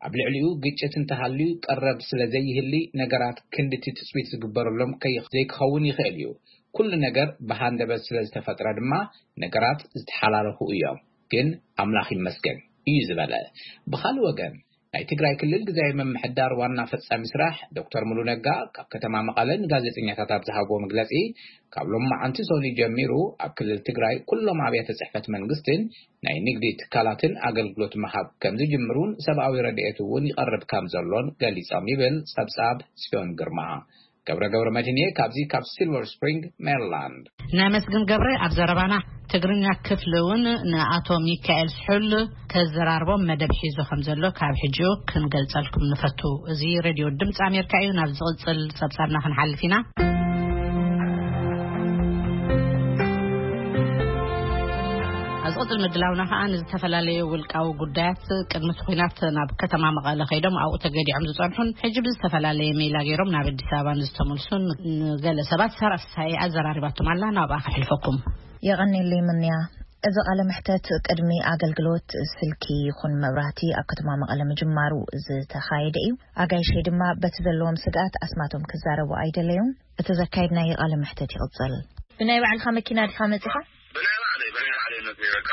ኣብ ልዕሊኡ ግጭት እንተሃልዩ፣ ቀረብ ስለ ዘይህሊ፣ ነገራት ክንድቲ ትጽቢት ዝግበረሎም ከይ-፣ ዘይክኸውን ይኽእል እዩ። ኩሉ ነገር ብሃንደበት ስለ ዝተፈጥረ ድማ፣ ነገራት ዝተሓላለኹ እዮም። ግን ኣምላኽ ይመስገን እዩ ዝበለ። ብኻልእ ወገን፣ ናይ ትግራይ ክልል ግዝያዊ ምምሕዳር ዋና ፈጻሚ ስራሕ ዶክተር ሙሉ ነጋ ካብ ከተማ መቐለ ንጋዜጠኛታት ኣብ ዝሃብዎ መግለጺ፣ ካብ ሎማዓንቲ ሰኑይ ጀሚሩ ኣብ ክልል ትግራይ ኩሎም ኣብያተ ጽሕፈት መንግስትን ናይ ንግዲ ትካላትን ኣገልግሎት ምሃብ ከም ዝጅምሩን ሰብኣዊ ረድኤት እውን ይቐርብ ከም ዘሎን ገሊጾም ይብል ጸብጻብ ጽዮን ግርማ። ገብረ ገብረ መድህንየ ካብዚ ካብ ሲልቨር ስፕሪንግ ሜሪላንድ። ነመስግን ገብረ። ኣብ ዘረባና ትግርኛ ክፍሊ እውን ንኣቶ ሚካኤል ስሑል ከዘራርቦም መደብ ሒዙ ከም ዘሎ ካብ ሕጂኡ ክንገልጸልኩም ንፈቱ። እዚ ሬድዮ ድምፂ ኣሜሪካ እዩ። ናብ ዝቕጽል ጸብጻብና ክንሓልፍ ኢና። ኣብ ዝቕጽል ምድላውና ከኣ ንዝተፈላለዩ ውልቃዊ ጉዳያት ቅድሚ እቲ ኲናት ናብ ከተማ መቐለ ከይዶም ኣብኡ ተገዲዖም ዝጸንሑን ሕጂ ብዝተፈላለየ ሜላ ገይሮም ናብ ኣዲስ ኣበባ ንዝተመልሱን ንገለ ሰባት ሳራ ፍስሃየ ኣዘራሪባቶም ኣላ። ናብኣ ከሕልፈኩም። የቐኔለይ ምንያ። እዚ ቃለ መሕተት ቅድሚ ኣገልግሎት ስልኪ ይኹን መብራህቲ ኣብ ከተማ መቐለ ምጅማሩ ዝተኻየደ እዩ። ኣጋይሸይ ድማ በቲ ዘለዎም ስግኣት ኣስማቶም ክዛረቡ ኣይደለዩን። እቲ ዘካየድናዮ ቃለ መሕተት ይቕጽል። ብናይ ባዕልኻ መኪና ዲኻ መጺኻ? ብናይ ባዕለይ፣ ብናይ ባዕለይ መጽእ በቃ።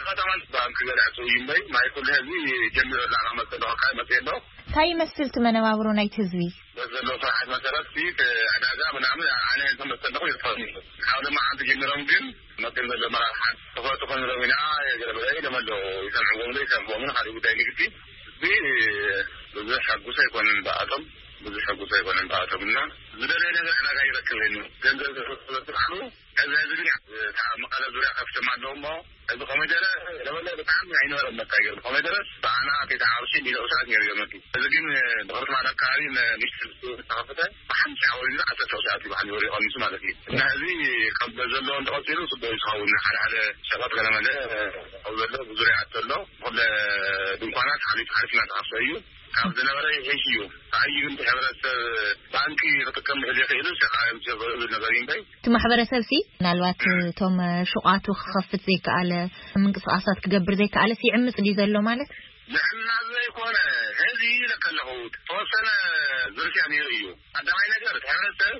ከተማ ባንክ ገለ ኣእትው እዩ እምበይ፣ ማይ ኩሉ ህዝቢ ጀሚሩ ኣሎ፣ ኣና መጽእ ኣለኹ፣ ካይ መጽእ ኣለኹ። እንታይ ይመስል እቲ መነባብሮ ናይቲ ህዝቢ? በዘሎ ስራሓት መሰረት እቲ ዕዳጋ ምናምን ኣነ እንተ መጽእ ኣለኹ ይርፈኒ። ካብ ድማ ሓንቲ ጀሚሮም ግን መጽእ ዘሎ መራርሓት ተፈቱ ክንብሎም ኢና፣ ገለ በለ ኢሎም ኣለዉ። ይሰምዕዎም ዶ ይሰምዕዎም፣ ካልእ ጉዳይ ንግዲ። እዚ ብዙሕ ሕጉስ ኣይኮነን ብኣቶም፣ ብዙሕ ሕጉስ ኣይኮነን ብኣቶም እና ዝደለየ ነገር ዕዳጋ ይረክብ እዩ። ገንዘብ ዝበፅሓሉ እዚ ህዝቢ ግን እታ መቐለ ዙርያ ከፍትም ኣለዎ እሞ እዚ ኮሚደረ ለበለ ብጣዕሚ ኣይነበረን መታገር ኮሚደረ ብኣና ተይተሓርሱ እንዲለ ሰዓት ነይሩ ገመቲ። እዚ ግን ብክርትማት ኣካባቢ ንሽቲ ዝተኸፍተ ብሓንቲ ዓወት ዓሰርተ ሰዓት ይበሃል ወሪ ቀሚሱ ማለት እዩ። እና እዚ ካብ ዘለዎ እንተቐፂሉ ፅቡቅ እዩ ዝኸውን። ሓደ ሓደ ሸቐጥ ገለመለ ካብ ዘሎ ብዙርያ ኣቶ ኣሎ። ኩለ ድንኳናት ሓሊፍ ሓሊፍ እናተኸፍተ እዩ። ካብ ዝነበረ ይሕሽ እዩ። ብዓብዪ ግን እቲ ሕብረተሰብ ባንኪ ክጥቀም ድሕር ዘይኽእሉ፣ ሸቃ እዮም ዝብል ነገር እዩ እምበይ። እቲ ማሕበረሰብ ሲ ምናልባት እቶም ሹቓቱ ክኸፍት ዘይከኣለ፣ ምንቅስቃሳት ክገብር ዘይከኣለ ሲ ይዕምፅ ድዩ ዘሎ ማለት? ንዕና ዘይኮነ፣ ሕዚ ኢለ ከለኹ ተወሰነ ዝርፊያ ነይሩ እዩ። ቀዳማይ ነገር እቲ ሕብረተሰብ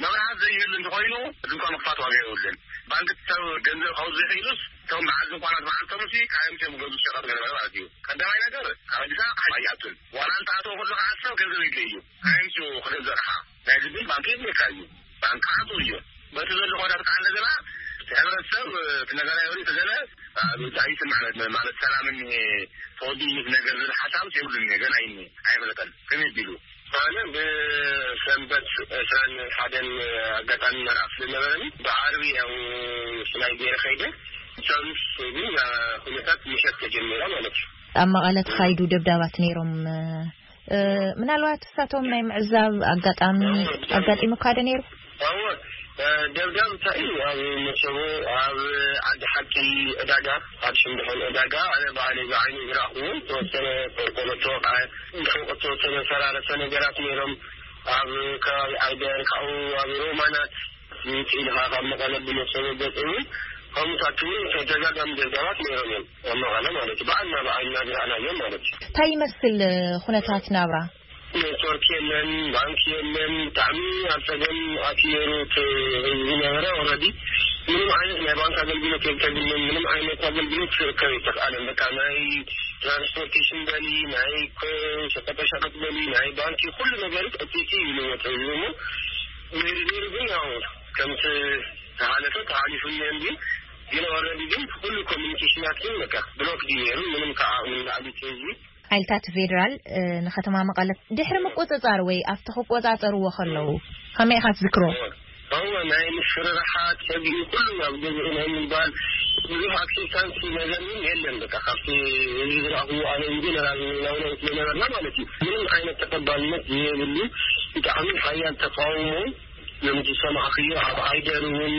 መብርሃት ዘይህሉ እንተኾይኑ፣ ድንኳን ምኽፋት ዋጋ የብሉን። ባንክ ሰብ ገንዘብ ከውፅእ ዘይኽእሉስ፣ እቶም በዓል ድንኳናት መዓልቶም ሲ፣ ካዮም እዮም ገዙ ሸቐጥ ገለ ማለት እዩ። ቀዳማይ ነገር፣ ካብ ኣዲስ ኣበባ ኣይኣቱን። ዋላ እንተኣተወ ከሎ ከዓ ሰብ ገንዘብ የድልዮ እዩ። ካዮም ክገዝእ ኣቕሓ። ናይ ግድን ባንክ የድልየካ እዩ። ባንክ ከዓ ጥሩ እዩ። በቲ ዘሎ ኩነታት ከዓ እንደገና፣ እቲ ሕብረተሰብ፣ እቲ ነጋዳይ ወዲኡ ተገለ፣ ኣብ እንታይ ይስማዕ ማለት፣ ማለት ሰላምን ተወዲኡ እዩ ነገር ዝብል ሓሳብ የብሉን። ገና ይኒ ኣይፈለጠን። ከመይ ቢሉ? ኣነ ብሰንበት ዕስራን ሓደን ኣጋጣሚ መርዓ ስለነበረኒ፣ ብዓርቢ ያው ፍላይ ገይረ ከይደ። ሳሉስ ግን ኩነታት ምሸት ተጀመረ ማለት እዩ። ኣብ መቐለ ተኻይዱ ደብዳባት ነይሮም። እ፣ ምናልባት እሳቶም ናይ ምዕዛብ ኣጋጣሚ ኣጋጢሙካ ዶ ነይሩ? እወ፣ እ፣ ደብዳብ እንታይ እዩ? ኣብ መሰቦ፣ ኣብ ዓዲ ሓቂ ዕዳጋ፣ ኣብ ሽንድሖን ዕዳጋ፣ ኣነ ባዕለይ ብዓይነይ ዝረኣኽዎ፣ ዝተወሰነ ቆርቆሮ ተወቕዐ፣ ዝተወሰነ ፈራረሰ ነገራት ነይሮም። ኣብ ከባቢ ዓይደር፣ ካብኡ ኣብ ሮማናት፣ ውፅእ ኢልኻ ካብ መቐለ ብመሰቦ ገፅ እውን፣ ከምኡታት እውን ተደጋጋሚ ደብዳባት ነይሮም እዮም። ኣብ መቐለ ማለት እዩ። ብዓይንና፣ ብዓይንና ዝረኣናዮም ማለት እዩ። እንታይ ይመስል ኩነታት ናብራ? ኔትወርክ የለን፣ ባንክ የለን። ብጣዕሚ ኣብ ፀገም ኣትዩ ነይሩ እቲ ህዝቢ ነበረ። ኦልሬዲ ምንም ዓይነት ናይ ባንክ ኣገልግሎት የብተግልም፣ ምንም ዓይነት ኣገልግሎት ክርከብ ኣይተኽኣለን። በቃ ናይ ትራንስፖርቴሽን በሊ፣ ናይ ኮ-፣ ሸቀጣሸቀጥ በሊ፣ ናይ ባንኪ ኩሉ ነገር ዕፅይቲ ኢሉ ወፀ ህዝቢ እሞ ነይሩ ነይሩ ግን ያው ከምቲ ተሓለፈ ተሓሊፉ እኒኦ እንዲ ግን ኦልሬዲ ግን ኩሉ ኮሚኒኬሽናት ግን በቃ ብሎክ ድዩ ነይሩ። ምንም ከዓ ንላዕሊ እቲ ህዝቢ ሓይልታት ፌደራል፣ እ፣ ንከተማ መቐለ ድሕሪ ምቁጽጻር ወይ ኣብቲ ክቆጻጸርዎ ከለዉ ከመይ ኢኻ ትዝክሮ? እወ፣ ናይ ምስርርሓት ሰጊኡ ኩሉ ናብ ገዝኡ ናይ ምባል ብዙሕ ኣክሴፕታንስ ነገር እውን የለን። በቃ ካብቲ ህዝቢ ዝረኣኽዎ ኣነ ኢንጀነራል ናውናይ ስለነበርና ማለት እዩ። ምንም ዓይነት ተቐባልነት የብሉ። ብጣዕሚ ሓያል ተቃውሞ ከምቲ ዝሰማዕክዮ ኣብ ዓይደር እውን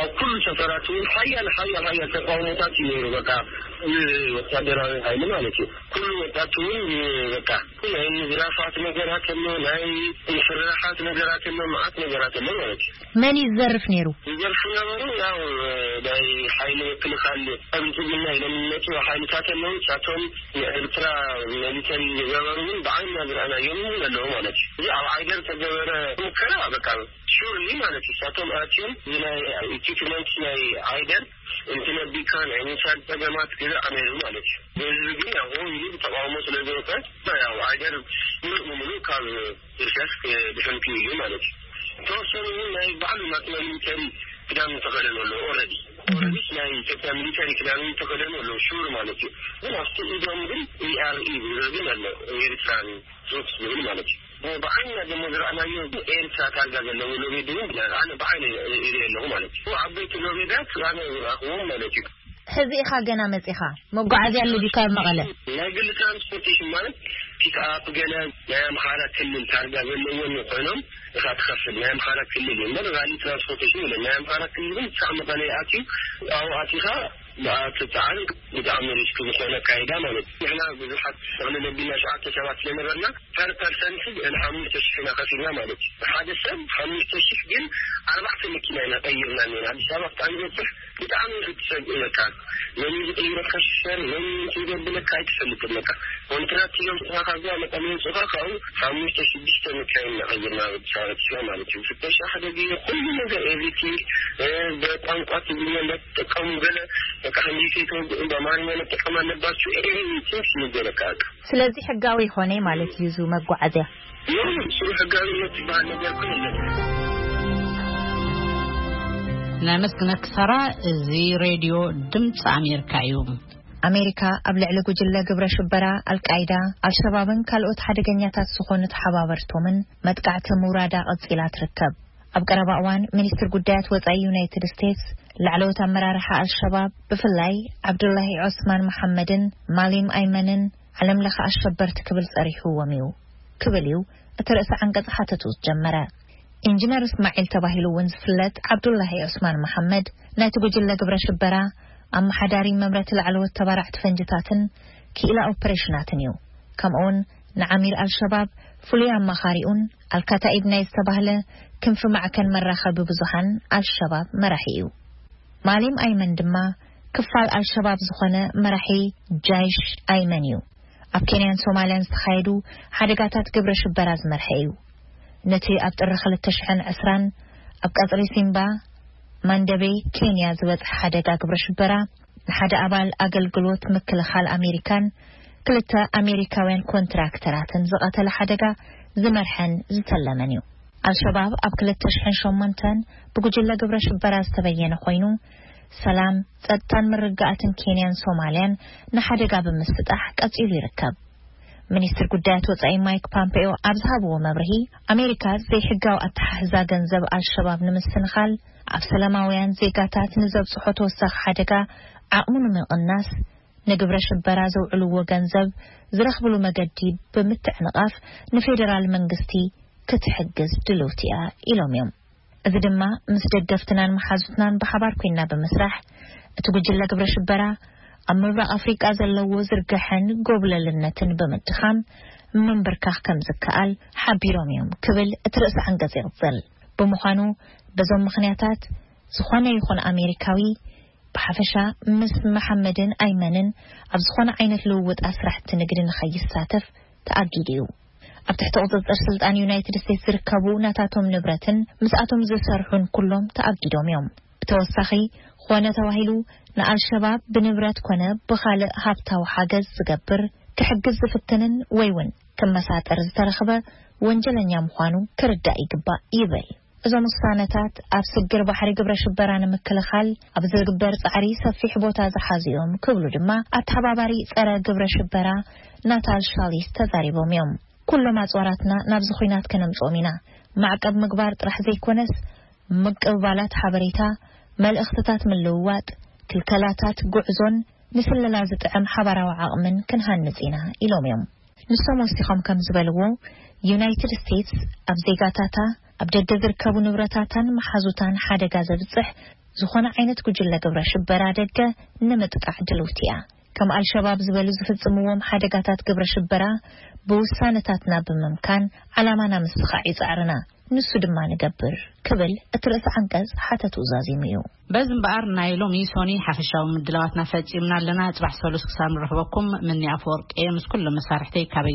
ኣብ ኩሉ ሰፈራት እውን ሓያል ሓያል ሓያል ተቃውሞታት እዩ ነይሩ። በቃ፣ ወታደራዊ ሓይሊ ማለት እዩ። ኩሉ ወጣት እውን በቃ፣ ናይ ምዝራፋት ነገራት ኣሎ፣ ናይ ምፍርራሓት ነገራት ኣሎ፣ መዓት ነገራት ኣሎ ማለት እዩ። መን እዩ ዝዘርፍ ነይሩ? ዝዘርፉ ነበሩ፣ ያው ናይ ሓይሊ ምክልኻል፣ ከምዚ ኢልና ኢሎም ዝመፁ ሓይልታት ኣለዉ። ንሳቶም ንኤርትራ ሚሊተሪ ዝገበሩ እውን ብዓይንና ዝረኣናዮም እውን ኣለዉ ማለት እዩ። እዚ ኣብ ዓይደር ዝተገበረ ሙከራ በቃ ሹርሊ ማለት እዩ። ንሳቶም ኣትዮም ናይ ኢኩፕመንት ናይ ዓይደር እንትነቢካ ናይ ምውሳድ ጸገማት ገዛእ ነይሩ ማለት እዩ። ህዝቢ ግን ያው ሆ ኢሉ ብተቃውሞ ስለ ዝወፀ፣ ያው ዓይደር ሙሉእ ብሙሉእ ካብ ዝርሸፍ ድሕንቱ እዩ ማለት እዩ። ተወሰኑ እውን ናይ ባዕሉ ናትና ሚሊተሪ ክዳን ዝተኸደኑ ኣለዉ። ኦልሬዲ ኦልሬዲ ናይ ኢትዮጵያ ሚሊተሪ ክዳን ዝተኸደኑ ኣለዉ፣ ሹር ማለት እዩ። ግን ኣብቲ ኢዶም ግን ኢኣርኢ ዝብል ግን ኣሎ፣ ኤሪትራን ትሩፕስ ዝብል ማለት እዩ። ብዓይንና ደሞ ዝረኣናዮ ኤርትራ ታርጋ ዘለዎ ሎቤድ እውን ኣነ ብዓይነ ይርኢ ኣለኹ ማለት እዩ። ዓበይቲ ሎቤዳት ኣነ ዝረኣኽዎም ማለት እዩ። ሕዚ ኢኻ ገና መጺኻ? መጓዓዝያ ኣሎ ድዩ ካብ መቐለ? ናይ ግሊ ትራንስፖርቴሽን ማለት ፒክኣፕ ገለ ናይ ኣምሓራ ክልል ታርጋ ዘለዎም ኮይኖም ኢኻ ትኸፍል። ናይ ኣምሓራ ክልል እዩ እምበር ራሊ ትራንስፖርቴሽን የለን። ናይ ኣምሓራ ክልል ግን ክሳዕ መቐለ ይኣትዩ። ኣብኡ ኣቲኻ ብኣትፀዓን ብጣዕሚ ሪስክ ዝኾነ ኣካይዳ ማለት እዩ። ንሕና ብዙሓት ጠቕልል ኣቢልና ሸዓተ ሰባት ስለነበርና ፐር ፐርሰንት ልዕሊ ሓሙሽተ ሽሕ ኢና ከፊልና ማለት እዩ። ሓደ ሰብ ሓሙሽተ ሽሕ ግን ኣርባዕተ መኪና ኢና ቀይርና ነና። ኣዲስ ኣበባ ክጣን ዝበፅሕ ብጣዕሚ ክትሰግእ በቃ። መን እዩ ዝቕይረካ ሽፈር፣ መን እዩ እንትን ዘብለካ ኣይትፈልጥን በቃ። ኮንትራት ኢሎም ስኻ ካብዛ መቐለ የውፅኡኻ ካብኡ ሓሙሽተ ሽዱሽተ መካይን ኢና ቀይርና ኣብ ኣዲስ ኣበባ ኣቲና ማለት እዩ። ፍተሻ ሓደ ግዜ ኩሉ ነገር ኤቭሪቲንግ፣ እ፣ ብቋንቋ ትግርኛ እንዳትጥቀሙ ገለ በቃ እንግሊዝ ከይተወግኡ በኣማርኛ መጠቀም ኣለባችሁ ኤቭሪቲንግ ይነገረካ በቃ። ስለዚ ሕጋዊ ይኾነ ማለት እዩ እዚ መጓዓዝያ? ኖ፣ ስሩ ሕጋዊነት ዝበሃል ነገር እኮ የለን። ናይ መስግነክ ሳራ፣ እዚ ሬድዮ ድምፂ ኣሜሪካ እዩ። ኣሜሪካ ኣብ ልዕሊ ጉጅለ ግብረ ሽበራ ኣልቃይዳ፣ ኣልሸባብን ካልኦት ሓደገኛታት ዝኾኑ ተሓባበርቶምን መጥቃዕቲ ምውራዳ ቀጺላ ትርከብ። ኣብ ቀረባ እዋን ሚኒስትር ጉዳያት ወጻኢ ዩናይትድ ስቴትስ ላዕለዎት ኣመራርሓ ኣልሸባብ ብፍላይ ዓብዱላሂ ዑስማን መሓመድን ማሊም ኣይመንን ዓለም ለኸ ኣሸበርቲ ክብል ጸሪሕዎም እዩ ክብል እዩ እቲ ርእሰ ዓንቀጽ ሓተቱ ዝጀመረ። ኢንጂነር እስማዒል ተባሂሉ እውን ዝፍለጥ ዓብዱላሂ ዑስማን መሓመድ ናይቲ ጉጅለ ግብረ ሽበራ ኣመሓዳሪ መምረቲ ላዕለዎት ተባራዕቲ ፈንጅታትን ክኢላ ኦፐሬሽናትን እዩ። ከምኡውን ንዓሚር ኣልሸባብ ፍሉይ ኣማኻሪኡን ኣልካታኢብ ናይ ዝተባህለ ክንፊ ማዕከን መራኸቢ ብዙሃን ኣልሸባብ መራሒ እዩ። ማሊም ኣይመን ድማ ክፋል ኣልሸባብ ዝኾነ መራሒ ጃይሽ ኣይመን እዩ። ኣብ ኬንያን ሶማልያን ዝተኻየዱ ሓደጋታት ግብረ ሽበራ ዝመርሐ እዩ። ነቲ ኣብ ጥሪ ክልተ ሽሕን ዕስራን ኣብ ቀጽሪ ሲምባ ማንደቤ ኬንያ ዝበጽሐ ሓደጋ ግብረ ሽበራ ንሓደ ኣባል ኣገልግሎት ምክልኻል ኣሜሪካን ክልተ ኣሜሪካውያን ኮንትራክተራትን ዝቐተለ ሓደጋ ዝመርሐን ዝተለመን እዩ። ኣልሸባብ ኣብ ክልተ ሽሕን ሸሞንተን ብጉጅለ ግብረ ሽበራ ዝተበየነ ኮይኑ፣ ሰላም፣ ጸጥታን ምርግጋኣትን ኬንያን ሶማልያን ንሓደጋ ብምስጣሕ ቀጺሉ ይርከብ። ሚኒስትር ጉዳያት ወጻኢ ማይክ ፓምፔዮ ኣብ ዝሃብዎ መብርሂ፣ ኣሜሪካ ዘይሕጋዊ ኣተሓሕዛ ገንዘብ ኣልሸባብ ንምስንኻል፣ ኣብ ሰላማውያን ዜጋታት ንዘብጽሖ ተወሳኺ ሓደጋ ዓቕሙ ንምቕናስ፣ ንግብረ ሽበራ ዘውዕልዎ ገንዘብ ዝረኽብሉ መገዲ ብምትዕንቓፍ ንፌደራል መንግስቲ ክትሕግዝ ድልውቲ እያ ኢሎም እዮም። እዚ ድማ ምስ ደገፍትናን መሓዙትናን ብሓባር ኮይና ብምስራሕ እቲ ጉጅለ ግብረ ሽበራ ኣብ ምብራቕ ኣፍሪቃ ዘለዎ ዝርግሐን ጎብለልነትን ብምድኻም ምንብርካኽ ከም ዝከኣል ሓቢሮም እዮም ክብል እቲ ርእሰ ዓንቀጽ ይቕጽል። ብምዃኑ በዞም ምኽንያታት ዝኾነ ይኹን ኣሜሪካዊ ብሓፈሻ ምስ መሓመድን ኣይመንን ኣብ ዝኾነ ዓይነት ልውውጥ ኣስራሕቲ ንግዲ ንኸይሳተፍ ተኣጊዱ እዩ። ኣብ ትሕቲ ቁጽጽር ስልጣን ዩናይትድ ስቴትስ ዝርከቡ ናታቶም ንብረትን ምስኣቶም ዝሰርሑን ኩሎም ተኣጊዶም እዮም። ብተወሳኺ፣ ኾነ ተባሂሉ ንኣልሸባብ ብንብረት ኮነ ብኻልእ ሃብታዊ ሓገዝ ዝገብር፣ ክሕግዝ ዝፍትንን ወይ እውን ክመሳጠር ዝተረኽበ ወንጀለኛ ምዃኑ ክርዳእ ይግባእ ይብል። እዞም ውሳነታት ኣብ ስግር ባሕሪ ግብረ ሽበራ ንምክልኻል ኣብ ዝግበር ጻዕሪ ሰፊሕ ቦታ ዝሓዙ እዮም ክብሉ ድማ ኣተሓባባሪ ጸረ ግብረ ሽበራ ናታል ሻሊስ ተዛሪቦም እዮም። ኩሎም ኣጽዋራትና ናብዚ ኹናት ከነምጽኦም ኢና። ማዕቀብ ምግባር ጥራሕ ዘይኮነስ፣ ምቅብባላት ሓበሬታ፣ መልእኽትታት ምልውዋጥ፣ ክልከላታት ጉዕዞን ንስለላ ዝጥዕም ሓባራዊ ዓቕምን ክንሃንጽ ኢና ኢሎም እዮም። ንሶም ወሲኾም ከም ዝበልዎ፣ ዩናይትድ ስቴትስ ኣብ ዜጋታታ ኣብ ደገ ዝርከቡ ንብረታታን መሓዙታን ሓደጋ ዘብጽሕ ዝኾነ ዓይነት ጉጅለ ግብረ ሽበራ ደገ ንምጥቃዕ ድልውቲ እያ። ከም ኣልሸባብ ዝበሉ ዝፍጽምዎም ሓደጋታት ግብረ ሽበራ ብውሳነታትና ብምምካን ዓላማና ምስኻዕ ይጻዕርና። ንሱ ድማ ንገብር ክብል እቲ ርእሲ ዓንቀጽ ሓተቱ ዛዚሙ እዩ። በዚ እምበኣር ናይ ሎሚ ሶኒ ሓፈሻዊ ምድላዋትና ፈጺምና ኣለና። ጽባሕ ሰሉስ ክሳብ ንረኽበኩም ምኒ ኣፈወርቂ እየ ምስ ኩሎም መሳርሕተይ ካበይ